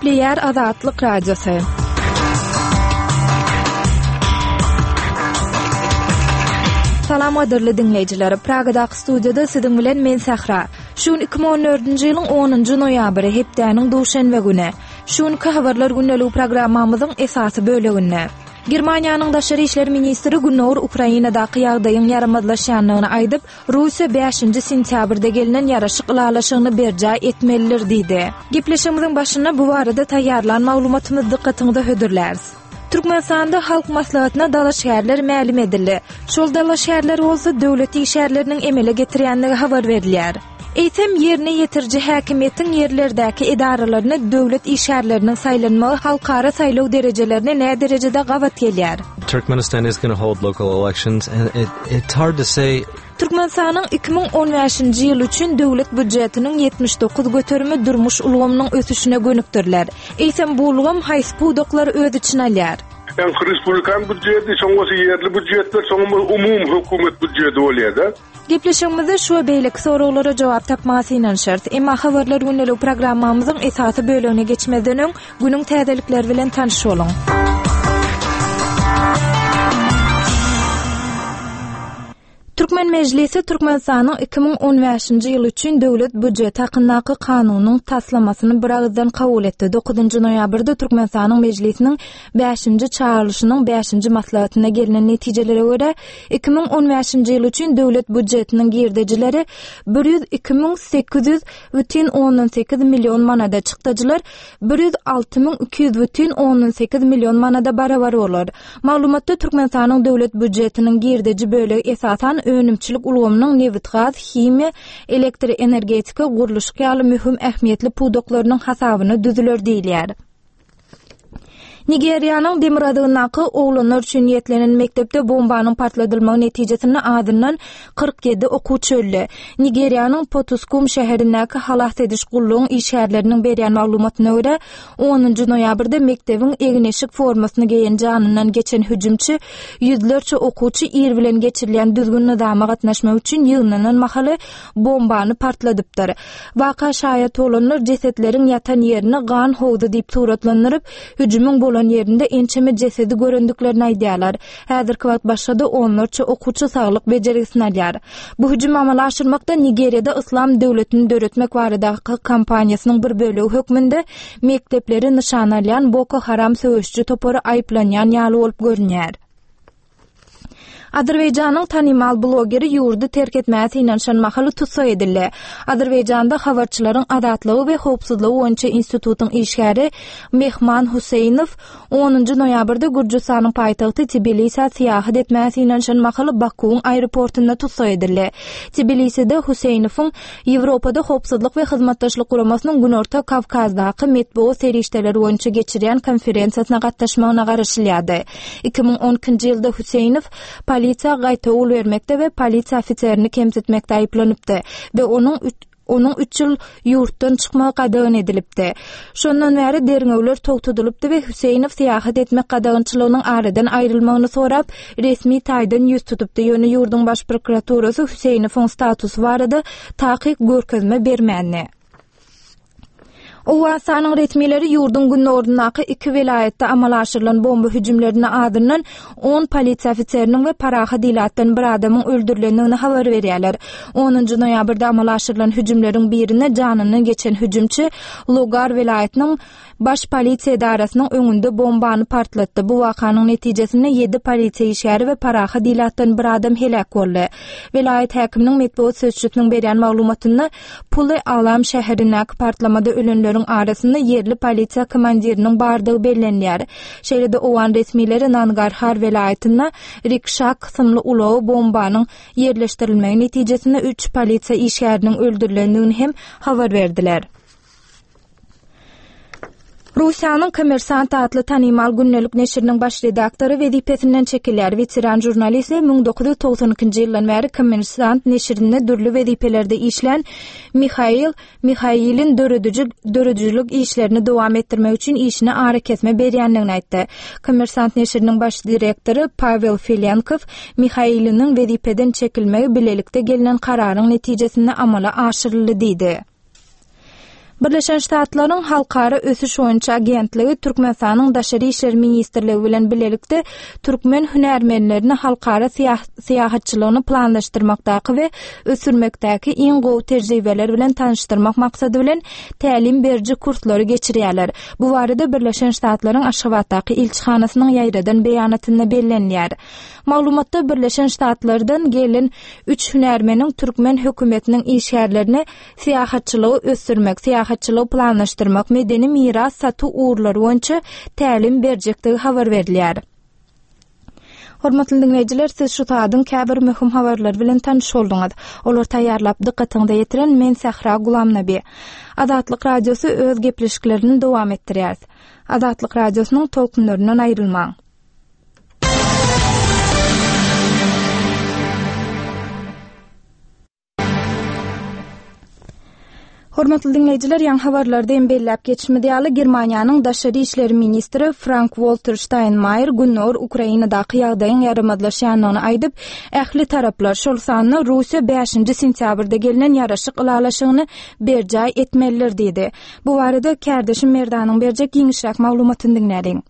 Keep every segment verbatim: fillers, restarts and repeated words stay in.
Gepleýär Azatlyk Radiosy. Salam gadyrly diňleýjiler. Pragadaky studiýada siziň bilen men Sähra. Şu gün iki müň on dördünji ýylyň onunjy noýabry, hepdäniň duşenbe güni. Şu günki habarlar gündeligi programmamyzyň esasy böleginde Germaniýanyň daşary işler ministri Gündogar Ukrainadaky ýagdaýyň ýaramazlaşýandygyny aýdyp, Russiýa bäşinji sentýabrda gelnen ýaraşyk ylalaşygyny berjaý etmelidir diýdi. Gepleşigimiziň başynda bu barada taýýarlan maglumatymyzy dykgatyňyza hödürläris. Türkmenistanda Halk Maslahatyna dalaşgärler mälim edildi. Şol dalaşgärler bolsa döwlet işgärleriniň emele getirýändigi habar berilýär. Eýsem, ýerine ýetiriji häkimiýetiň ýerlerdäki edaralaryna döwlet işgärleriniň saýlanmagy halkara saýlaw derejelerine näderejede gabat gelýär? Turkmenistan is gonna hold local elections and it, it's hard to say. Türkmenistanyň iki müň on bäşinji ýyl üçin döwlet býujetiniň ýetmiş dokuz göterimi durmuş ulgamynyň ösüşine gönükdiriler. Eýsem, bu ulgam haýsy pudaklary öz içine alýar? Ýa respublikan býujeti, soň bolsa ýerli býujetler, soň umumy hökümet býujeti bolýar-da. Gepleşigimizde şu we beýleki soraglara jogap tapmaga synanyşarys. Emma habarlar gündelik programmamyzyň esasy bölegine geçmezden öň günüň täzelikleri bilen tanyş boluň. Türkmen Mejlisi Türkmenistanyň iki müň on bäşinji ýyl üçin döwlet býujeti hakyndaky kanunyň taslamasyny bir agyzdan kabul etdi. Dokuzynjy noýabrda Türkmenistanyň Mejlisiniň bäşinji çagyrylyşynyň bäşinji maslahatyna gelnen netijelere görä iki müň on bäşinji ýyl üçin döwlet býujetiniň girdejileri bir ýüz iki müň sekiz ýüz bütin ondan sekiz million manada, çykdajylar bir ýüz alty müň iki ýüz bütin ondan sekiz million manada barabar bolar. Maglumatda Türkmenistanyň döwlet býujetiniň girdeji bölegi esasan önümçilik ulgamynyň nebit-gaz, himiýa, elektroenergetika, gurluşyk ýaly möhüm ähmiýetli pudaklarynyň hasabyna düzüler diýilýär. Nigeriýanyň demirgazygyndaky oglanlar üçin niýetlenen mekdepde bombanyň partladylmagy netijesinde azyndan kyrk ýedi okuwçy öldi. Nigeriýanyň Potuskum şäherindäki halas ediş gullugyň işgärleriniň berýän maglumatyna görä, onunjy noýabrda mekdebiň egin-eşik formasyny geýen janyndan geçen hüjümçi ýüzlerçe okuwçy ir bilen geçirilýän düzgün nyzama gatnaşmak üçin ýygnanan mahaly bombany partladypdyr. Waka şaýat bolanlar jesetleriň ýatan ýerini gan howzy diýip suratlandyryp, hüjümiň bolan ýerinde ençeme jesedi görendiklerini aýdýarlar. Häzirki wagt başga-da onlarça okuwçy saglyk bejergisini alýar. Bu hüjüm amala aşyrmakda Nigeriýada Yslam döwletini döretmek baradaky kampaniýasynyň bir bölegi hökmünde mekdepleri nyşana alýan Boko Haram söweşçi topary aýyplanýan ýaly bolup görünýär. Azerbaýjanyň tanymal blogeri ýurdy terk etmäge synanyşan mahaly tussag edildi. Azerbaýjanda habarçylaryň azatlygy we howpsuzlygy boýunça institutyň işgäri Mehman Huseýnow onunjy noýabrda Gürjüstanyň paýtagty Tbilisä syýahat etmäge synanyşan mahaly Bakuwyň aeroportunda tussag edildi. Tbiliside Huseýnowyň Ýewropada howpsuzlyk we hyzmatdaşlyk guramasynyň Günorta Kawkazdaky metbugat serişdeleri boýunça geçirýän konferensiýasyna gatnaşmagyna garaşylýardy. Iki müň on ikinji ýylda Huseýnow polisiýa gaýtawul bermekde we polisiýa ofiserini kemsitmekde aýyplanypdy we onuň üç, onuň üç ýyl ýurtdan çykmagy gadagan edilipdi. Şondan bäri derňewler togtadylypdy we Huseýnow syýahat etmek gadagançylygynyň aradan aýrylmagyny sorap resmi taýdan ýüz tutupdy. Ýöne ýurduň baş prokuraturasy Huseýnowyň statusy barada takyk görkezme bermändi. Owganystanyň resmileri ýurduň günortasyndaky iki welaýatda amala aşyrylan bomba hüjümlerinde azyndan on polisiýa ofiseriniň we parahat ilatdan bir adamyň öldürilendigini habar berýärler. Onunjy noýabrda amala aşyrylan hüjümleriň birinde janyndan geçen hüjümçi Logar welaýatynyň baş polisiýa edarasynyň öňünde bombany partlatdy. Bu wakanyň netijesinde ýedi polisiýa işgäri we parahat ilatdan bir adam heläk boldy. Welaýat häkiminiň metbugat sözçüsiniň berýän maglumatynda Puly Alam şäherindäki partlamada ölenleriň arasynda ýerli polisiýa komandiriniň bardygy bellenýär. Şeýle-de Owgan resmileri Nangarhar welaýatynda rikşa kysymly ulagy bombanyň ýerleşdirilmegi netijesinde üç polisiýa işgäriniň öldürilendigini hem habar berdiler. Russiýanyň Kommersant atly tanymal gündelik neşiriniň baş redaktory wezipesinden çekilýär. Weteran žurnalist we müň dokuz ýüz togsan ikinji ýyldan bäri Kommersant neşirinde dürli wezipelerde işlän Mihail Mihailin dörediji, döredijilik işlerini dowam etdirmek üçin işine arakesme berýändigini aýtdy. Kommersant neşiriniň baş direktory Pavel Filenkow Mihailiniň wezipeden çekilmegi bilelikde gelnen kararyň netijesinde amala aşyryldy diýdi. Birleşen Ştatlaryň Halkara Ösüş boýunça agentligi Türkmenistanyň Daşary işler ministrligi bilen bilelikde türkmen hünärmenlerini halkara syýahatçylygyny planlaşdyrmakdaky we ösdürmekdäki iň gowy tejribeler bilen tanyşdyrmak maksady bilen tälim beriji kurslary geçirýärler. Bu barada Birleşen Ştatlaryň Aşgabatdaky ilçihanasynyň ýaýradan beýanatynda bellenýär. Maglumatda Birleşen Ştatlardan gelen üç hünärmeniň türkmen hökümetiniň işgärlerine syýahatçylygy ösdürmek, syýahatçylygy planlaşdyrmak, medeni miras satuw ugurlary boýunça tälim berjekdigi habar berilýär. Hormatly dinleýjiler, siz şu saadyň käbir möhüm habarlary bilen tanyş bolduňyz. Olar taýýarlap dykgatyňyza ýetiren men Sähra Gulamnabi. Azatlyk Radiosy öz gepleşiklerini dowam etdirýär. Azatlyk Radiosynyň tolkunlaryndan aýrylmaň. Hormatly dinleýjiler, ýaňy habarlarda hem belläp geçişimiz ýaly, Germaniýanyň Daşary işler ministri Frank-Walter Steinmeier Gündogar Ukrainadaky ýagdaýyň ýaramazlaşýandygyny aýdyp, ähli taraplar, şol sanda Russiýa bäşinji sentýabrda gelnen ýaraşyk ylalaşygyny berjaý etmelidir diýdi. Bu barada kärdeşim Merdanyň berjek giňişräk maglumatyny diňläliň.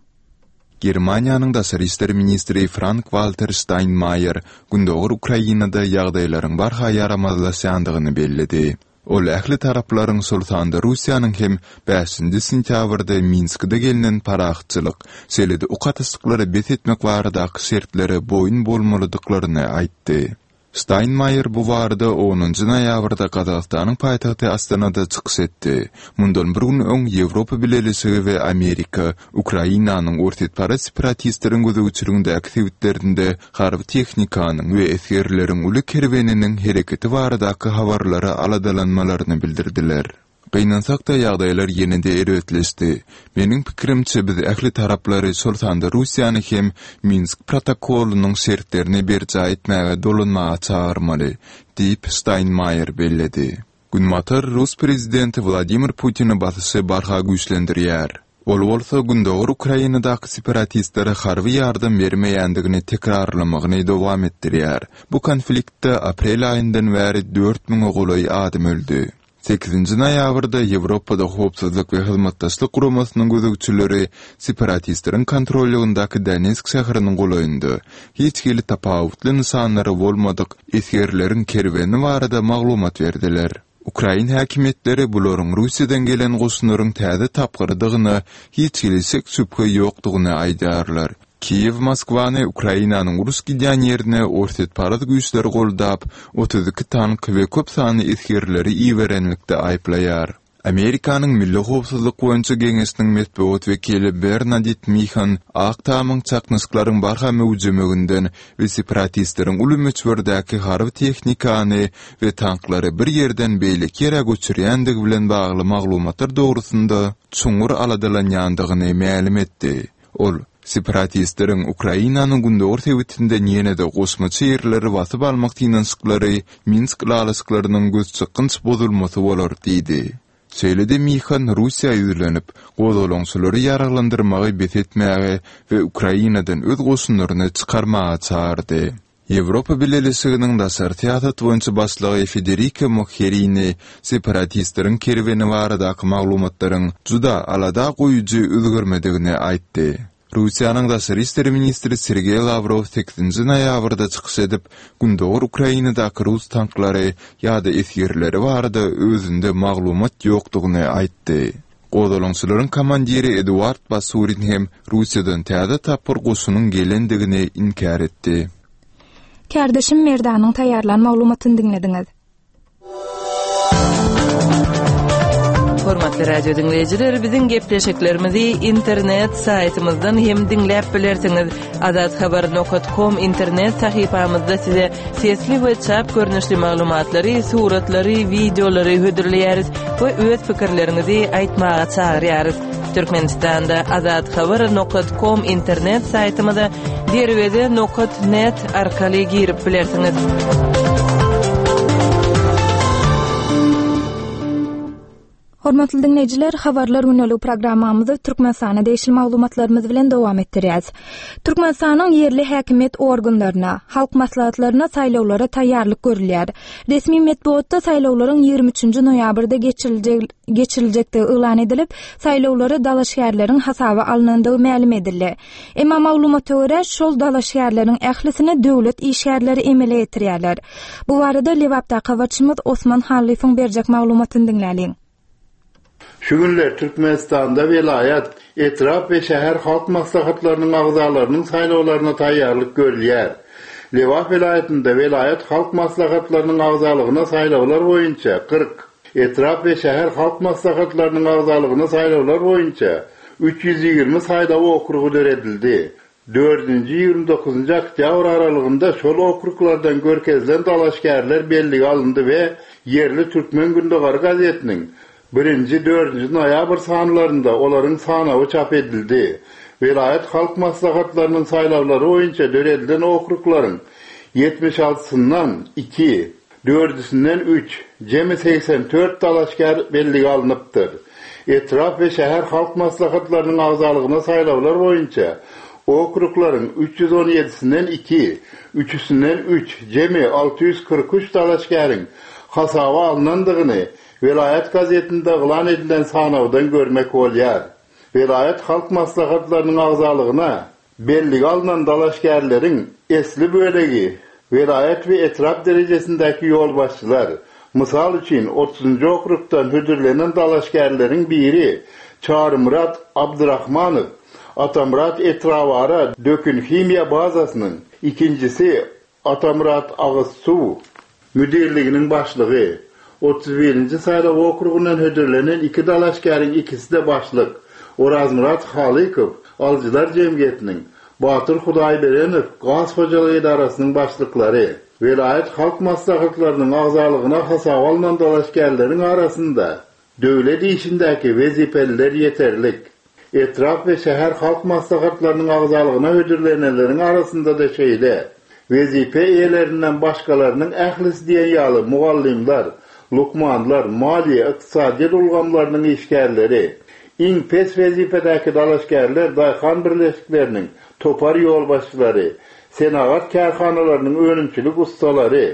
Germaniýanyň Daşary işler ministri Frank-Walter Steinmeier Gündogar Ukrainada ýagdaýlaryň barha ýaramazlaşýandygyny belledi. Ol ähli taraplaryň, şol sanda Russiýanyň hem bäşinji sentýabrda Minskde gelnen parahatçylyk, şeýle-de ok atyşyklary bes etmek baradaky şertlere boýun bolmalydyklaryny aýtdy. Steinmeier bu barada onunjy noýabrda Gazagystanyň paýtagty Astanada çykyş etdi. Mundan bir gün öň Ýewropa Bileleşigi we Amerika Ukrainanyň orsýetparaz separatistleriň gözegçiligindäki sebitlerinde harby tehnikanyň we esgerleriň uly kerweniniň hereketi baradaky habarlara aladalanmalaryny bildirdiler. Gynansak-da, ýagdaýlar ýene-de erbetleşdi. Meniň pikirimçe, biz ähli taraplary, şol sanda Russiýany hem Minsk protokolynyň şertlerini berjaý etmäge dolanmaga çagyrmaly, diýip, Steinmeier belledi. Günbatar rus prezidenti Wladimir Putine basyşy barha güýçlendirýär. Ol bolsa Gündogar Ukrainadaky separatistlere harby ýardam bermeýändigini tekrarlamagyny dowam etdirýär. Bu konfliktde aprel aýyndan bäri dört müňe golaý adam öldi. Sekizinji noýabrda Ýewropada Howpsuzlyk we Hyzmatdaşlyk Guramasynyň gözegçileri separatistleriň kontrollygyndaky Donetsk şäheriniň golaýynda hiç hili tapawutly nyşanlary bolmadyk esgerleriň kerweni barada maglumat berdiler. Ukrain häkimiýetleri bularyň Russiýadan gelen goşunlaryň täze tapgyrydygyna hiç hili şek-şübhe ýokdugyny aýdýarlar. Kiýew Moskwany Ukrainanyň uruş gidýän ýerine orsýetparaz güýçleri goldap, otuz iki tank we köp sanly esgerleri iberenlikde aýyplaýar. Amerikanyň Milli howpsuzlyk boýunça geňeşiniň metbugat wekili Bernadit Mihan Ak Tamyň çaknyşyklaryň barha möwjemeginden we separatistleriň uly möçberdäki harby tehnikany we tanklary bir ýerden beýleki ýere göçürýändigi bilen bagly maglumatlar dogrusynda çuňňur aladalanýandygyny mälim etdi. Ol, separatistleriň Ukrainanyň gündogar sebitinden ýene-de goşmaça ýerleri basyp almak synanyşyklary Minsk ylalaşyklarynyň gözçykgynç bozulmasy bolar diýdi. Şeýle-de Mihan Russiýa ýüzlenip, gozgalaňçylary ýaraglandyrmagy bes etmäge we Ukrainadan öz goşunlaryny çykarmaga çagyrdy. Ýewropa Bileleşiginiň daşary syýasat boýunça başlygy Federika Mogherini separatistleriň kerweni baradaky maglumatlaryň juda alada goýujy özgermedigini aýtdy. Russiýanyň daşary işler ministri Sergeý Lawrow sekizinji noýabrda çykyş edip, Gündogar Ukrainadaky rus tanklary ýa-da esgerleri barada özünde maglumat ýokdugyny aýtdy. Gozgalaňçylaryň komandiri Eduard Basurin hem Russiýadan täze tapgyr goşunyň gelendigini inkär etdi. Kärdeşim Merdanyň taýýarlan maglumatyny diňlediňiz. Hormatly radio diňleýjiler, biziň gepleşiklerimizi internet saýtymyzdan hem diňläp bilersiňiz. Azathabar nokta com internet sahypamyzda size sesli we çap görnüşli maglumatlary, suratlary, wideolary hödürleýäris we öz pikirleriňizi aýtmaga çagyrýarys. Türkmenistanda azathabar nokta com internet saýtymyza derweze nokta net arkaly girip bilersiňiz. Hormatly diňleýjiler, Habarlar gündeligi programmamyzy Türkmenistana degişli maglumatlarymyz bilen dowam etdirýäris. Türkmenistanyň ýerli häkimiýet organlaryna, halk maslahatlaryna saýlawlara taýýarlyk görülýär. Resmi metbugatda saýlawlaryň ýigrimi üçünji noýabrda geçiriljekdigi yglan edilip, saýlawlara dalaşgärleriň hasaba alnandygy mälim edildi. Emma maglumata görä, şol dalaşgärleriň ählisini döwlet işgärleri emele getirýärler. Bu barada Lebapdaky habarçymyz Osman Hallyýewiň berjek maglumatyny diňläliň. Şu günler Türkmenistanda welaýat, etrap we şäher halk maslahatlarynyň agzalarynyň saýlawlaryna taýýarlyk görülýär. Lebap welaýatynda welaýat halk maslahatlarynyň agzalygyna saýlawlar boýunça kyrk, etrap we şäher halk maslahatlarynyň agzalygyna saýlawlar boýunça üç ýüz ýigrimi saýlaw okrugy döredildi. Dördünji ýigrimi dokuzynjy oktýabr aralygynda şol okruglardan görkezilen dalaşgärler bellige alyndy we ýerli Türkmen Gündogary gazetiniň birinji, dördünji noýabr sanlarynda olaryň sanawy çap edildi. Welaýat halk maslahatlarynyň saýlawlary boýunça döredilen okruglaryň ýetmiş altysyndan iki, dördüsinden üç, jemi segsen dört dalaşgär bellige alnypdyr. Etrap we şäher halk maslahatlarynyň agzalygyna saýlawlar boýunça okruglaryň üç ýüz on ýedisinden iki, üçüsinden üç, jemi alty ýüz kyrk üç dalaşgäriň hasaba alnandygyny welaýat gazetinde yglan edilen sanawdan görmek bolýar. Welaýat halk maslahatlarynyň agzalygyna bellige alnan dalaşgärleriň esli bölegi welaýat we etrap derejesindäki ýolbaşçylar, mysal üçin otuzynjy okrugdan hödürlenen dalaşgärleriň biri Çarymyrat Abdurahmanow, Atamyrat etrabara dökün himiýa bazasynyň, ikinjisi Atamyrat agyz suw müdirliginiň başlygy, otuz birinji saýlaw okrugyndan hödürlenen iki dalaşgäriň ikisi-de başlyk, Orazmyrat Halykow, Alyjylar jemgyýetiniň, Batyr Hudaýberenow gaz hojalyk edarasynyň başlyklary, welaýat halk maslahatlarynyň agzalygyna hasaba alnan dalaşgärleriň arasynda döwlet işindäki wezipeliler ýeterlik. Etrap we şäher halk maslahatlarynyň agzalygyna hödürlenenleriň arasynda-da şeýle. Wezipe eýelerinden başgalarynyň ählisi diýen ýaly mugallymlar, lukmanlar, maliýe, ykdysadyýet ulgamlarynyň işgärleri, iň pes wezipedäki dalaşgärler daýhan birleşikleriniň topar ýolbaşçylary, senagat kärhanalarynyň önümçilik ussalary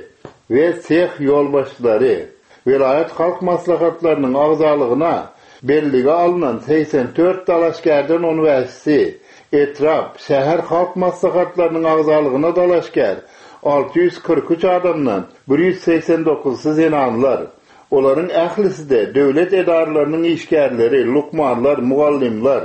we seh ýolbaşçylary, welaýat halk maslahatlarynyň agzalygyna bellige alnan segsen dört dalaşgärden on bäşisi, etrap, şäher halk maslahatlarynyň agzalygyna dalaşgär alty ýüz kyrk üç adamdan bir ýüz segsen dokuzysy zenanlar. Olaryň ählisi-de döwlet edaralarynyň işgärleri, lukmanlar, mugallymlar.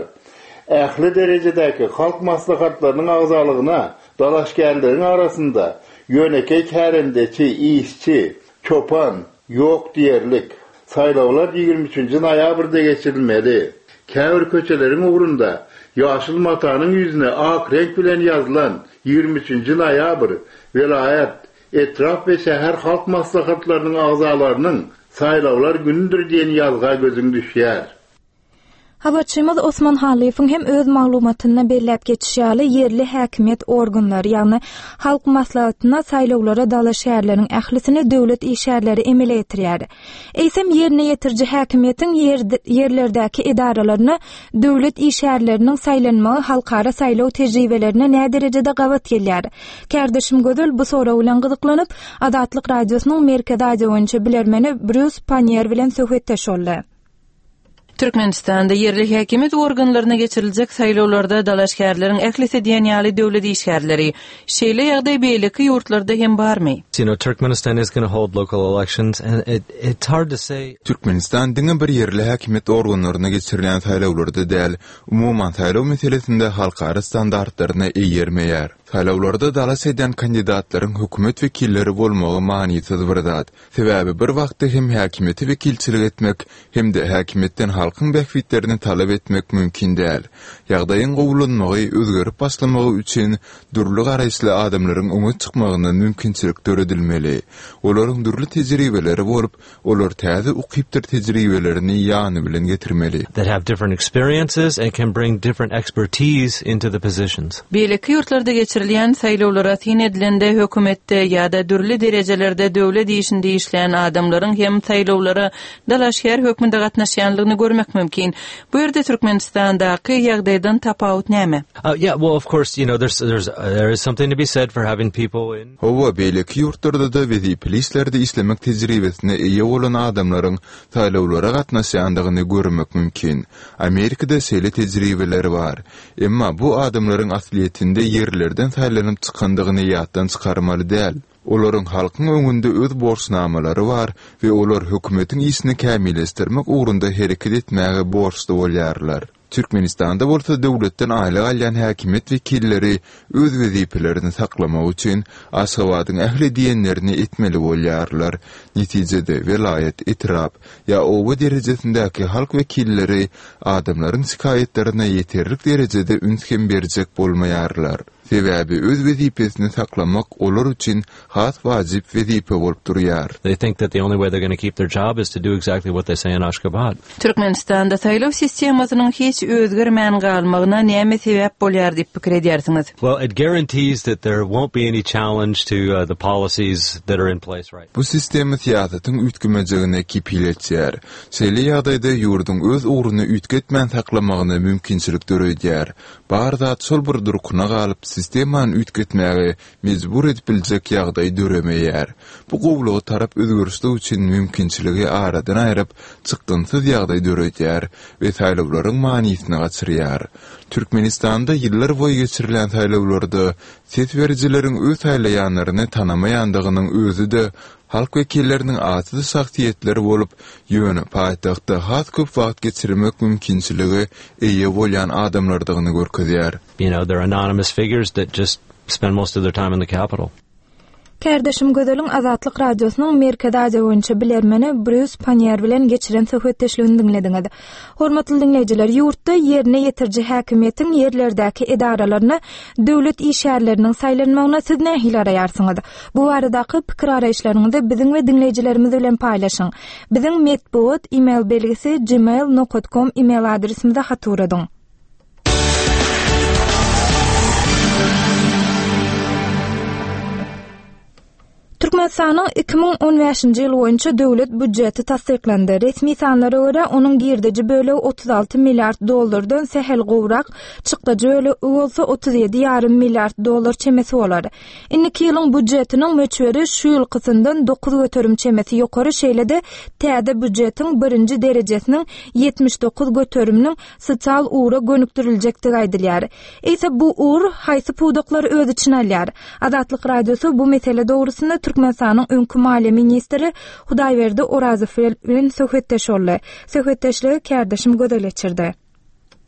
Ähli derejedäki halk maslahatlarynyň agzalygyna dalaşgärleriň arasynda ýönekeý kärendeçi, işçi, çopan ýok diýerlik. Saýlawlar ýigrimi üçünji noýabrda geçirilmeli. Käbir köçeleriň ugrunda ýaşyl matanyň ýüzüne ak reňk bilen ýazylan ýigrimi üçünji noýabr welaýat, etrap we şäher halk maslahatlarynyň agzalarynyň saýlawlar günüdir diýen ýazga gözüň düşýär. Habarçymyz Osman Hallyýewiň hem öz maglumatynda belläp geçişi ýaly ýerli häkimiýet organlary, ýagny halk maslahatyna saýlawlara dalaşgärleriň ählisini döwlet işgärleri emele getirýär. Eýsem ýerine ýetiriji häkimiýetiň ýerlerdäki edaralaryna döwlet işgärleriniň saýlanmagy halkara saýlaw tejribelerine nä derejede gabat gelýär? Kärdeşim Gözel bu sorag bilen gyzyklanyp, Azatlyk Radiosynyň Merkezi Aziýa boýunça bilermeni Brýus Pannier bilen söhbetdeş boldy. Türkmenistanda ýerli häkimiýet organlaryna geçiriljek saýlawlarda dalaşgärleriň ählisi diýen ýaly döwlet işgärleri. Şeýle ýagdaý beýleki ýurtlarda hem barmy? You know, Turkmenistan is gonna hold local elections and it, it's hard to say. Türkmenistan diňe bir ýerli häkimiýet organlaryna geçirilen saýlawlarda däl, umuman saýlaw meselesinde halkara standartlaryna eýermeýär. Saýlawlarda dalaş edýän kandidatlaryň hökümet wekilleri bolmagy manysyz bir zat. Sebäbi bir wagtda hem häkimiýeti wekilçilik etmek hem-de häkimiýetden halkyň bähbitlerini talap etmek mümkin däl. Ýagdaýyň gowulanmagy, özgerip başlamagy üçin dürli garaýyşly adamlaryň öňe çykmagyna mümkinçilik döredilmeli. Olaryň dürli tejribeleri bolup, olar täze ukypdyr tejribelerini ýany bilen getirmeli. That have different experiences and can bring different expertise into the positions. Beýleki ýurtlarda geçirilýän Geçirilýän saýlawlara syn edilende hökümetde ýa-da dürli derejelerde döwlet işinde işleýän adamlaryň hem saýlawlara dalaşgär hökmünde gatnaşýanlygyny görmek mümkin. Bu ýerde Türkmenistandaky ýagdaýdan tapawut näme? Uh, yeah, well, of course, you know, there's there's uh, there is something to be said for having people in Hawa, beýleki ýurtlarda-da wezipeli işlerde işlemek tejribesine eýe bolan adamlaryň saýlawlara gatnaşýandygyny görmek mümkin. Amerikada şeýle tejribeler bar. Emma bu adamlaryň aslyýetinde ýerlerden saýlanyp çykandygyny ýatdan çykarmaly däl. Olaryň halkyň öňünde öz borçnamalary bar we olar hökümetiň işini kämilleşdirmek ugrunda hereket etmäge borçly bolýarlar. Türkmenistanda bolsa döwletden aýlyk alýan häkimiýet wekilleri öz wezipelerini saklamak üçin Aşgabadyň ähli diýenlerini etmeli bolýarlar. Netijede welaýat, etrap ýa oba derejesindäki halk wekilleri adamlaryň şikaýatlaryna ýeterlik derejede üns hem berjek bolmaýarlar. Sebäbi öz wezipesini saklamak olar üçin has wajyp wezipe bolup durýar. They think that the only way they're going to keep their job is to do exactly what they say in Ashgabat. Türkmenistanda saýlaw sistemasynyň hiç özgermän galmagyna näme sebäp bolýar diýip pikir edýärsiňiz? Well, it guarantees that there won't be any challenge to uh, the policies that are in place right Bu sistema syýasatyň üýtgemejegine kepil etýär. Şeýle ýagdaýda ýurduň öz ugruny üýtgetmän saklamagyna mümkinçilik döredýär. Bar zat şol bir durkuna galyp, sistemany üýtgetmäge mejbur edip biljek ýagdaý döremeýär. Bu gowulyga tarap özgerişlik üçin mümkinçiligi aradan aýryp, çykgynsyz ýagdaý döredýär we saýlawlaryň manysyny gaçyrýar. Türkmenistanda ýyllar boýy geçirilen saýlawlarda ses berijileriň öz saýlaýanlaryny tanamaýandygynyň özi-de halk wekilleriniň atsyz şahsyýetler bolup, ýöne paýtagtda has köp wagt geçirmek mümkinçiligi eýe bolýan adamlardygyny görkezýär. You know, they're anonymous figures that just spend most of their time in the capital. Kärdeşim Gözeliň Azatlyk Radiosynyň Merkezi Aziýa boýunça bilermeni Brýus Panniýer bilen geçiren söhbetdeşligini diňlediňiz. Hormatly diňleýjiler, ýurtda ýerine ýetiriji häkimiýetiň ýerlerdäki edaralaryna döwlet işgärleriniň saýlanmagyna siz nähili garaýarsyňyz? Bu baradaky pikir garaýyşlaryňyzy biziň we diňleýjilerimiz bilen paýlaşyň. Biziň metbugat e-mail belgisi gmail nokta com e-mail adresimize hat ugradyň. Türkmenistanyň iki müň on bäşinji ýyl boýunça döwlet býujeti tassyklandy. Resmi sanlara görä, onuň girdeji bölegi otuz alty milliard dollardan sähel gowrak, çykdajy bölegi bolsa otuz ýedi ýarym milliard dollar çemesi bolar. Indiki ýylyň býujetiniň möçberi şu ýylkysyndan dokuz göterim çemesi ýokary, şeýle-de täze býujetiň birinji derejesiniň ýetmiş dokuz göteriminiň sosial ugra gönükdiriljekdigi aýdylýar. Eýse bu ugur haýsy pudaklary öz içine alýar? Azatlyk Radiosy bu mesele dogrusynda Türkmenistanyň öňki maliýe ministri Hudaýberdi Orazow bilen söhbetdeş boldy. Söhbetdeşligi kärdeşim Gözel geçirdi.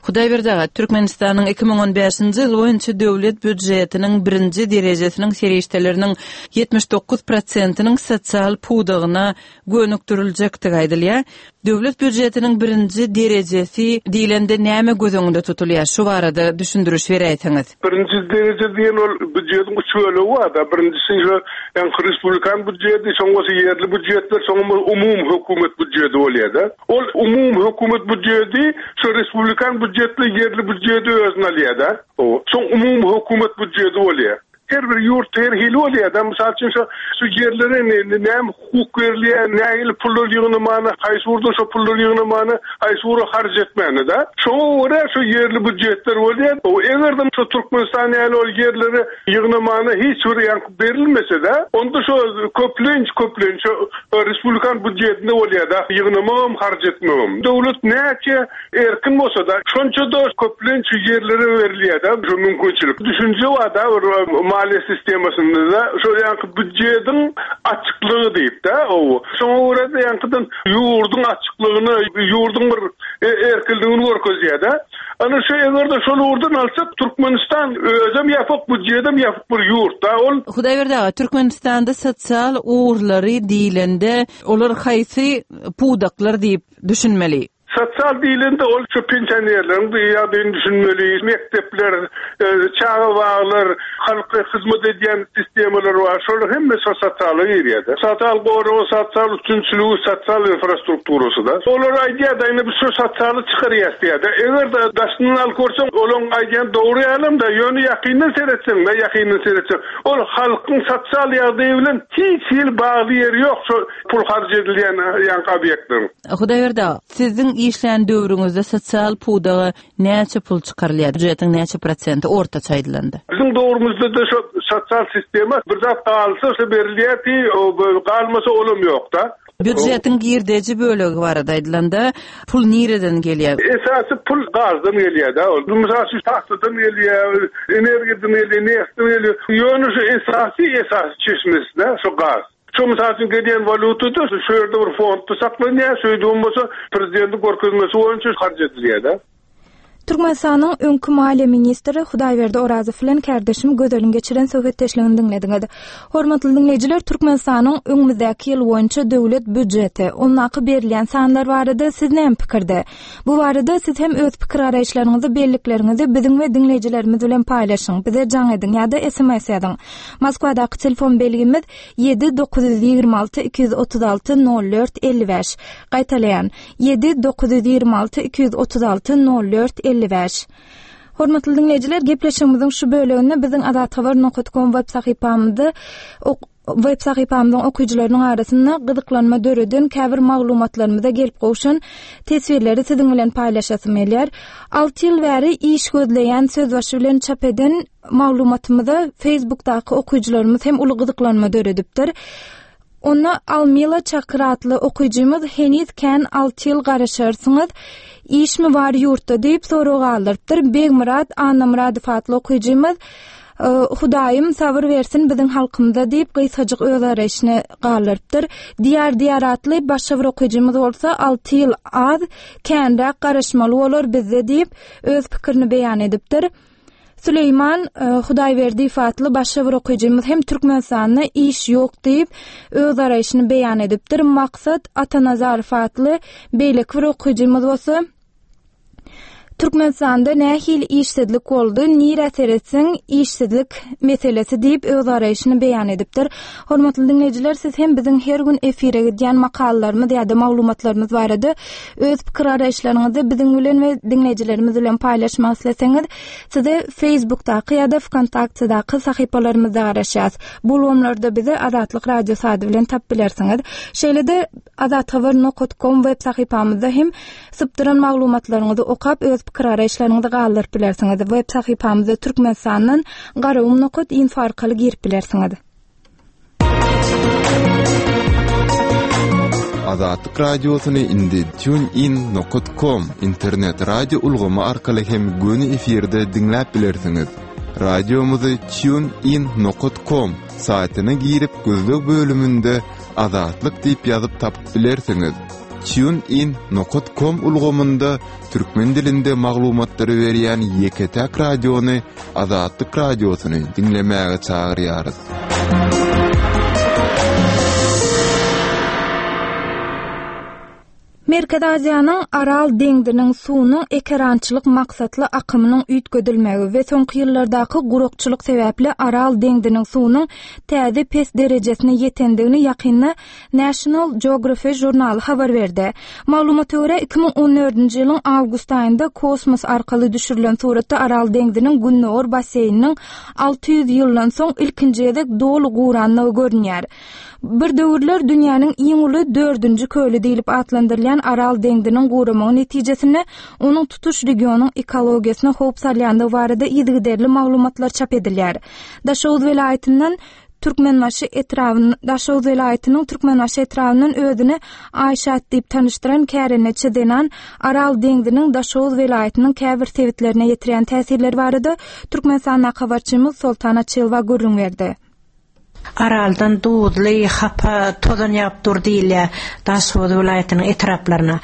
Hudaýberdi aga, Türkmenistanyň iki müň on bäşinji ýyl boýunça döwlet býujetiniň birinji derejesiniň serişdeleriniň ýetmiş dokuz prosentiniň sosial pudagyna gönükdiriljekdigi aýdylýar. Döwlet býujetiniň birinji derejesi diýlende näme göz öňünde tutulýar? Şu barada düşündiriş beräýseňiz. Birinji dereje diýen ol býujetiň üç bölegi bar da. Birinjisi şu ýani respublikan býujeti, soň bolsa ýerli býujetler, soň umumy hökümet býujeti bolýar da. Ol umumy hökümet býujeti şu respublikan býujetli ýerli býujeti özüne alýar da. O soň umumy hökümet býujeti bolýar. Her bir ýurt her hili bolýar da. Mysal üçin şu şu ýerlere ne näme hukuk berilýär, nähili pullar ýygnamany, haýsy ugurda şu pullar ýygnamany, haýsy ugra harç etmäni da. Şoňa görä şu ýerli býujetler bolýar. O eger-de şu Türkmenistan ýaly ol ýerlere ýygnamany hiç bir ýaňky berilmese de, onda şu köplenç köplenç şu respublikan býujetinde bolýar da, ýygnamagam harç etmegem. Döwlet näçe erkin bolsa da, şonça da köplenç ýerlere berilýär da, şu mümkinçilik. Düşünje bar da, bir maliýe sistemasynda da, şu ýaňky býujetiň açyklygy diýip da, o. Şoňa görä de ýaňkydan ýurduň açyklygyny, ýurduň bir e, erkinligini görkezýär da. Ana şu eger-de şol ugurdan alsak, Türkmenistan özem ýapyk, býujetem ýapyk bir ýurt da ol. Hudaýberdi aga, Türkmenistanda sosial ugurlary diýlende, olar haýsy pudaklar diýip düşünmeli? Sosial diýlende ol şu pensionerleriň ýagdaýyny düşünmeli, mekdepler, çaga baglar, halka hyzmat edýän sistemalar bar. Şolar hemme sosiala girýär. Sosial goragy, sosial üstünçiligi, sosial infrastrukturasy da. Olar aýdýar da, indi biz şu sosialy çykarýas diýýär. Eger-de daşyndan alyp görseň, olaň aýdýan dogry ýalam da, ýöne ýakyndan seretseň, da ýakyndan seretseň, ol halkyň sosial ýagdaýy bilen hiç hili bagly ýeri ýok, şu pul harç edilýän ýaňky obýektleriň. Hudaýberdi, siziň işlän döwrüňizde sosial pudaga näçe pul çykarylýar? Býujetiň näçe prosenti ortaça aýdylanda? Biziň döwrümizde de şu sosial sistema bir zat galsa şu berilýär ki, o galmasa olam ýok-da. Býujetiň girdeji bölegi barada aýdylanda, pul nireden gelýär? Esasy pul gazdan gelýär-de. Ol mysal üçin tahtadan gelýär, energiýadan gelýär, neftden gelýär. Ýöne şu esasy, esasy çeşmesi de şu gaz. Şu mysal üçin gelýän walýutada şu ýerde bir fondda saklanýar, şeýle bolmasa prezidentiň görkezmesi boýunça harç edilýär-de. Türkmenistanyň öňki maliýe ministri Hudaýberdi Orazow bilen kärdeşim Gözeliň geçiren söhbetdeşligini diňlediňiz. Hormatly diňleýjiler, Türkmenistanyň öňümizdäki ýyl boýunça döwlet býujeti, ondaky berilýän sanlar barada siz näme pikirde? Bu barada siz hem öz pikir garaýyşlaryňyzy, bellikleriňizi biziň we diňleýjilerimiz bilen paýlaşyň. Bize jaň ediň ýa-da S M S ýazyň. Moskwadaky telefon belgimiz ýedi dokuz ýüz ýigrimi alty iki ýüz otuz alty nol dört elli bäş. Gaýtalaýan ýedi dokuz ýüz ýigrimi alty iki ýüz otuz alty nol dört elli bäş. Hormatly diňleýjiler, gepleşigimiziň şu böleginde biziň azathabar nokta com web sahypamyzda ok-, web sahypamyzyň okyjylarynyň arasynda gyzyklanma döreden käbir maglumatlarymyza gelip gowşan teswirleri siziň bilen paýlaşasym gelýär. Alty ýyl bäri iş gözleýän sözbaşy bilen çap eden maglumatymyza Facebookdaky okyjylarymyz hem uly gyzyklanma döredipdir. Onda Almila Çakyr atly okyjymyz heniz kän alty ýyl garaşarsyňyz, işmi bar ýurtda diýip sorag galdyrypdyr. Begmyrat Annamyradow atly okyjymyz, e, Hudaýym sabyr bersin biziň halkymyza diýip gysgajyk öz garaýşyny galdyrypdyr. Diýar Diýar atly başga bir okyjymyz bolsa alty ýyl az, känräk garaşmaly bolar bizde diýip öz pikirini beýan edipdir. Süleýman, e, Hudaýberdiýew atly başga bir okyjymyz hem Türkmenistanda iş ýok diýip öz garaýşyny beýan edipdir. Maksat Atanazarow atly beýleki bir okyjymyz bolsa Türkmenistanda nähili işsizlik boldy, nirä seretseň işsizlik meselesi diýip öz garaýşyny beýan edipdir. Hormatly diňleýjiler, siz hem biziň her gün efire gidýän makalalarymyz ýa-da maglumatlarymyz barada öz pikir garaýyşlaryňyzy biziň bilen we diňleýjilerimiz bilen paýlaşmak isleseňiz, size Facebookdaky ýa-da Vkontaktdaky sahypalarymyzda garaşýarys. Bu ulgamlarda bizi Azatlyk Radiosy ady bilen tap bilersiňiz. Şeýle-de azathabar nokta com web sahypamyzda hem sypdyran maglumatlaryňyzy okap öz pikir garaýyşlaryňyzy galdyryp bilersiňiz. Web sahypamyzda Türkmenistandan garagum nokta info arkaly girip bilersiňiz. Azatlyk Radiosyny indi TuneIn nokta com internet radio ulgamy arkaly hem göni efirde diňläp bilersiňiz. Radiomyzy TuneIn nokta com saýtyna girip gözleg bölüminde Azatlyk diýip ýazyp tapyp bilersiňiz. TuneIn nokta com ulgamynda türkmen dilinde maglumatlary berýän ýeke-täk radiony Azatlyk Radiosyny diňlemäge çagyrýarys. Merkezi Aziýanyň Aral deňziniň suwunyň ekerançylyk maksatly akymynyň üýtgedilmegi we soňky ýyllardaky gurakçylyk sebäpli Aral deňziniň suwunyň täze pes derejesine ýetendigini ýakynda National Geographic žurnaly habar berdi. Maglumata görä iki müň on dördünji ýylyň awgust aýynda kosmos arkaly düşürilen suratda Aral deňziniň gündogar basseýniniň alty ýüz ýyldan soň ilkinji gezek doly guranlygy görünýär. Bir döwürler dünýäniň iň uly dördünji köli diýlip atlandyrylýan Aral deňziniň guramagy netijesinde onuň tutuş regionyň ekologiýasyna howp salýandygy barada yzygiderli maglumatlar çap edilýär. Daşoguz welaýatyndan Türkmenbaşy etrabyndan, Daşoguz welaýatynyň Türkmenbaşy etrabyndan özüni Aýşat diýip tanyşdyran kärendeçi zenan Aral deňziniň Daşoguz welaýatynyň käbir sebitlerine ýetirýän täsirleri barada Türkmenistandaky habarçymyz Soltan Açylowa gürrüň berdi. Araldan duzly, hapa, tozan ýagyp dur diýilýär Daşoguz welaýatynyň etraplaryna.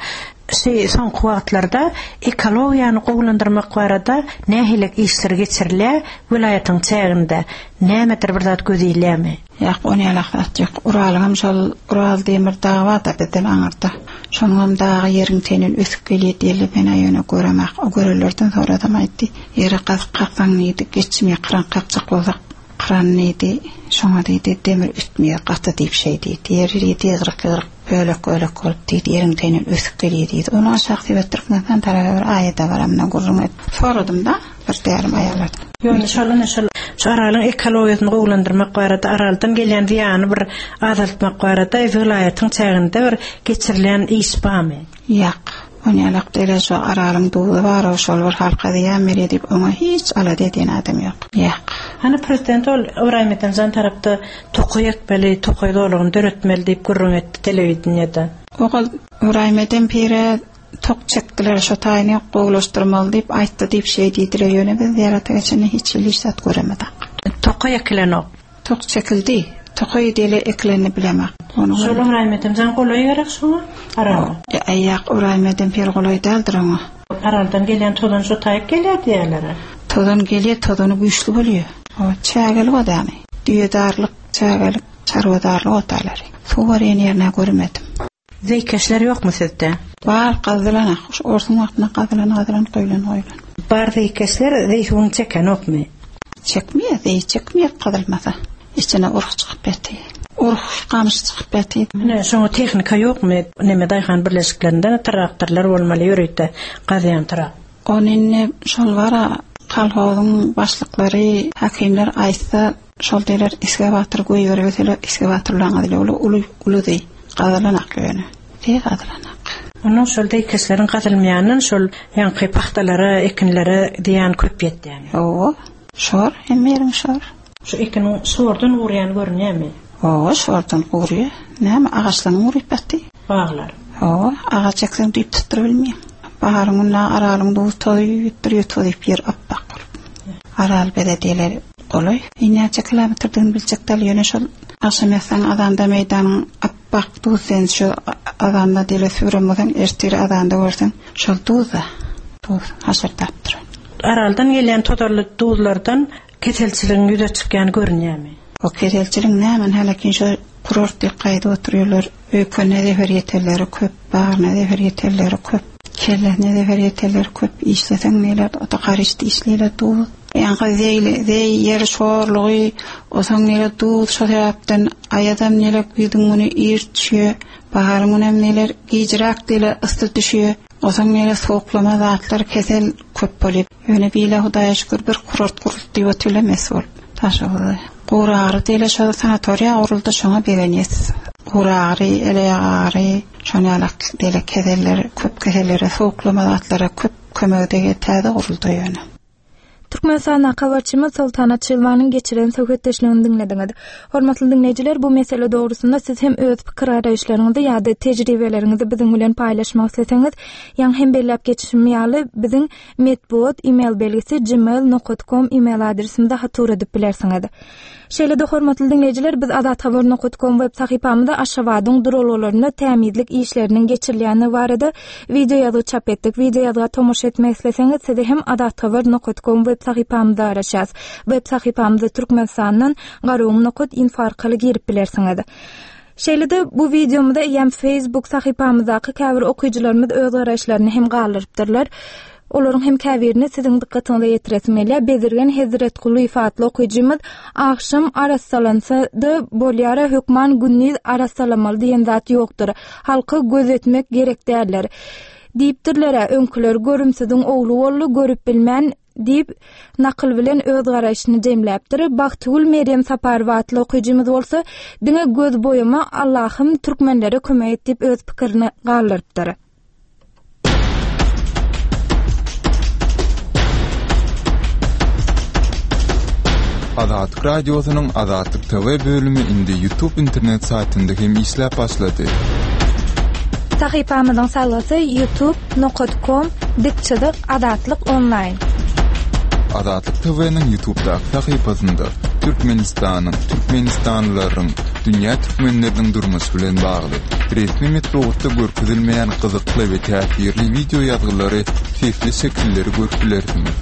Şu soňky wagtlarda ekologiýany gowulandyrmak barada nähili işler geçirilýär welaýatyň çäginde? Nämedir bir zat göz ilýärmi? Ýok, ony ýalak zat ýok. Uralyňam şol Ural demir dagy bar-da bizden aňyrda. Şonuňam dagy ýeriň teýinden ösüp gelýär diýeli, men-ä ýöne göremak. O görenlerden soradam aýtdy. Ýere gazyk kaksaň diýdi, geçmeýär, kyran kakjak bolsak, kyran diýdi. Şoňa diýdi, demir ötmeýär, gaty diýip şeý diýdi. Ýer diýdi, ýygryk-ýygryk, bölek-bölek bolup diýdi, ýeriň teýinden ösüp gelýär diýdi. Ony aşak sebet Türkmenistan tarapa bir aýada baramda gürrüň et. Soradym-da, bir därim aýalardan. Ýöne şol ine şol şu Aralyň ekologiýasyny gowulandyrmak barada, Araldan gelýän zyýany bir azaltmak barada welaýatyň çäginde bir geçirilen iş barmy? Ýok. Ony ýalak däl, şu Aralyň duzy bar, o şol bir halka zyýan berýär diýip, oňa hiç alada edýän adam ýok. Ýok. Hany prezident ol Ybraýym Edemjan tarapda tokaý ekmeli, tokaý zolagyny döretmeli diýip gürrüň etdi telewideniýede. Ogul Ybraýym Edem pire tok çekdiler, şo taýyny gowulaşdyrmaly diýip aýtdy diýip şeý diýdiler. Ýöne biz zyýarata geçende hiç hili iş zat göremedik. Tokaý ekilenok. Tok çekildi. Tokaý diýle ekilenini bilemek. Ony Şol Ybraýym Edemjan golaý gerek şoňa? Arala. E, Aýak Ybraýym Edem pir golaý däldir oňa. Araldan gelýän tozan şo taýyp gelýär diýerler. Tozan gelýär, tozany güýçli bolýar. O çägeli odany. Düýedarlyk, çägelik, çarwadarlyk otalary. Suw barýan ýerine görmedim. Zeýkeşler ýokmy sizde? Bar gazylan, şu orsuň wagtynda gazylan, gazylan, goýlan, goýlan. Bar zeýkeşler zeý suwuny çekenokmy? Çekmeýär, zeý çekmeýär gazylmasa. Içine urh çykyp ýatyr. Urh gamyş çykyp ýatyr. Ine şoňa tehnika ýokmy? Neme daýhan birleşiklerinde traktorlar bolmaly ýörite gazýan trak. Ony indi şol bara kolhozyň başlyklary, hakimler aýtsa, şol diýler iskawator goýberseler, iskawatorlaryň adyly uly uly uly zeý. Gazylan ak ýöne. Zeý gazylan ak. Onuň şol zeýkeşleriň gazylmaýandan şol ýaňky pahtalara, ekinlere diýen köp ýetýän. Owa, şor, hemme ýeriň şor. Şu ekiniň şordan gurýan görünýärmi? Owa, şordan gurýar. Näme agaçlaryň guryp ýatdy? Baglar. Owa, agaç ekseň düýp tutduryp bilmeýär. Baharyň günü Aralyň duz tozy ýütdür ýütdür ýer appak bolup. Aral belediyeleri golaý. Näçe kilometrdigini biljek däl, ýöne şol agşam ýatsaň azanda meýdanyň appak duz sen şu azanda diýle süren bolsaň, ertir azanda görseň, şol duz-da, duz haşardap duran. Araldan gelýän tozarly duzlardan keselçiligiň ýüze çykýan görünýärmi? O keselçiligiň näme hälekin şu kurort diýip gaýdyp oturýarlar. Öýkene zeher ýeterleri köp, bagryna zeher ýeterleri köp, kellesine zeher ýeterleri köp. Işleseň neler, o da garyşdy işleýler duz. Ýaňky zeýli, zeý ýer şorlugy, osaň neler duz şo sebäpden aýadam neler güýzüň güni ir düşýär, baharyň günem neler gijräk diýle ysy düşýär. Osaň neler soğuklama zatlar kesel köp bolýar. Ýöne bile Hudaýa şükür bir kurort guruldy diýip otyrlar mes bolup. Taşoguzda. Guragry diýle şo sanatoriýa guruldy, şoňa begenýäs. Guragry, eleagry, şoň ýaly diýle keseller, köp kesellere, soğuklama zatlara köp kömek dege täze guruldy ýöne. Türkmenistanda habarçymyz Soltan Açylwanyň geçiren söhbetdeşligini diňlediňiz. Hormatly diňleýjiler, bu mesele dogrusynda siz hem öz pikir garaýyşlaryňyzy ýa-da tejribeleriňizi biziň bilen paýlaşmak isleseňiz, ýaňy hem belläp geçişim ýaly biziň metbugat e-mail belgisi gmail nokta com e-mail adresimize hat ugradyp bilersiňiz. Şeýle-de hormatly diňleýjiler, biz azathabar nokta com web sahypamyzda Aşgabadyň duralgalarynda tämizlik işleriniň geçirilýäni barada wideo ýazgy çap etdik. Wideo ýazga tomaşa etmek isleseňiz, sizi hem azathabar nokta com web sahypamyzda araşas. Web sahypamyzda Türkmenistandan garagum nokta info arkaly girip bilersiňiz. Şeýle-de bu wideomyzda eýem Facebook sahypamyzdaky käbir okyjylarymyz öz garaýyşlaryny hem galdyrypdyrlar. Olaryň hem käbirini siziň dykgatyňyza ýetiresim gelýär. Bezirgen Hezretgulyýew atly okyjymyz agşam arassalansa-da bolýara hökman gündiz arassalamaly diýen zat ýokdur. Halka gözetmek gerek däldir. Diýipdirler, öňküler görümsiziň ogly boldy, görüp bilmän diýip nakyl bilen öz garaýşyny jemläpdir. Bagtygül Meryem Saparowa atly okyjymyz bolsa diňe göz boýama Allahym türkmenlere kömek et diýip öz pikirini galdyrypdyr. Azatlyk Radiosynyň Azatlyk T V bölümi indi YouTube internet saýtynda hem işläp başlady. Sahypamyzyň salgysy youtube nokta com dikçilik Azatlyk onlaýn. Azatlyk T V-niň YouTube'daky sahypasynda Türkmenistanyň, Türkmenistanlylaryň, Dünýä türkmenleriniň durmuşy bilen bagly resmi metbugatda görkezilmeýän gyzykly we täsirli wideo ýazgylary, sesli şekilleri görüp bilersiňiz.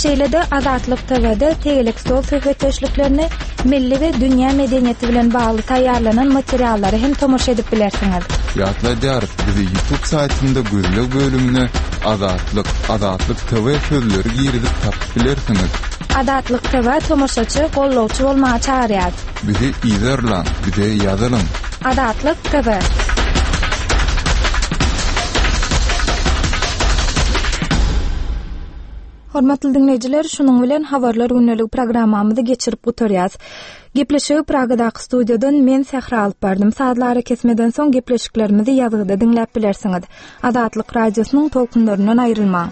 Şeýle-de Azatlyk T V-de tegelek stol söhbetdeşliklerini, milli we dünýä medeniýeti bilen bagly taýýarlanan materiallary hem tomaşa edip bilersiňiz. Ýatladýarys, bizi YouTube saýtynda gözleg bölümine Azatlyk, Azatlyk T V sözleri girizip tapyp bilersiňiz. Azatlyk T V tomaşaçy, gollawçy bolmaga çagyrýar. Bizi yzarlaň, bize ýazylyň. Azatlyk T V. Hormatly diňleýjiler, şunuň bilen habarlar gündelik programmamyzy geçirip gutarýas. Gepleşigi Pragadaky studiýadan men Sähra alyp bardym. Sazly arakesmeden soň gepleşiklerimizi ýazgyda diňläp bilersiňiz. Azatlyk radiosynyň tolkunlaryndan aýrylmaň.